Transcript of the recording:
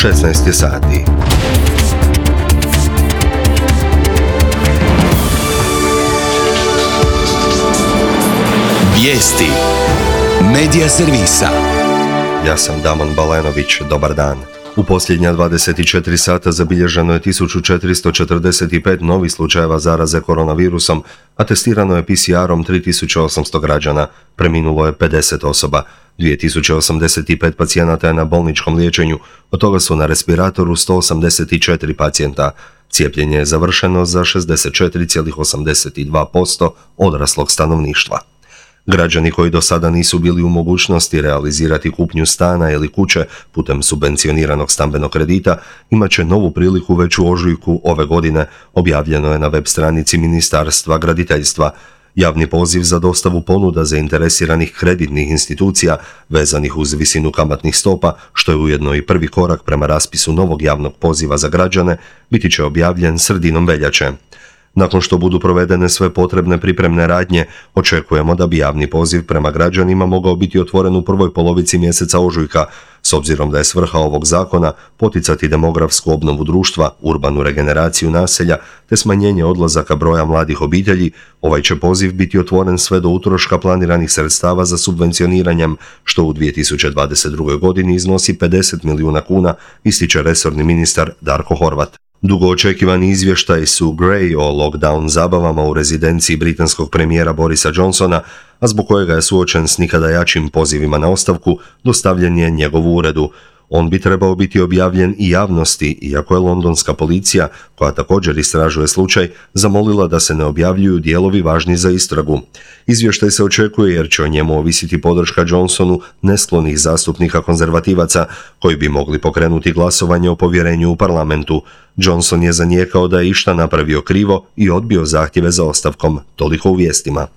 16 je sati. Vijesti Medija servisa. Ja sam Damon Balenović, dobar dan. U posljednja 24 sata zabilježeno je 1445 novih slučajeva zaraze koronavirusom, a testirano je PCR-om 3800 građana, preminulo je 50 osoba. 2085 pacijenata je na bolničkom liječenju, od toga su na respiratoru 184 pacijenta. Cijepljenje je završeno za 64,82% odraslog stanovništva. Građani koji do sada nisu bili u mogućnosti realizirati kupnju stana ili kuće putem subvencioniranog stambenog kredita imat će novu priliku već u ožujku ove godine, objavljeno je na web stranici Ministarstva graditeljstva. Javni poziv za dostavu ponuda zainteresiranih kreditnih institucija vezanih uz visinu kamatnih stopa, što je ujedno i prvi korak prema raspisu novog javnog poziva za građane, biti će objavljen sredinom veljače. Nakon što budu provedene sve potrebne pripremne radnje, očekujemo da bi javni poziv prema građanima mogao biti otvoren u prvoj polovici mjeseca ožujka, s obzirom da je svrha ovog zakona poticati demografsku obnovu društva, urbanu regeneraciju naselja te smanjenje odlazaka broja mladih obitelji. Ovaj će poziv biti otvoren sve do utroška planiranih sredstava za subvencioniranjem, što u 2022. godini iznosi 50 milijuna kuna, ističe resorni ministar Darko Horvat. Dugo očekivani izvještaj su Grey o lockdown zabavama u rezidenciji britanskog premijera Borisa Johnsona, a zbog kojega je suočen s nikada jačim pozivima na ostavku, dostavljen je njegovu uredu. On bi trebao biti objavljen i javnosti, iako je londonska policija, koja također istražuje slučaj, zamolila da se ne objavljuju dijelovi važni za istragu. Izvještaj se očekuje jer će o njemu ovisiti podrška Johnsonu nesklonih zastupnika konzervativaca, koji bi mogli pokrenuti glasovanje o povjerenju u parlamentu. Johnson je zanijekao da je išta napravio krivo i odbio zahtjeve za ostavkom, toliko u vijestima.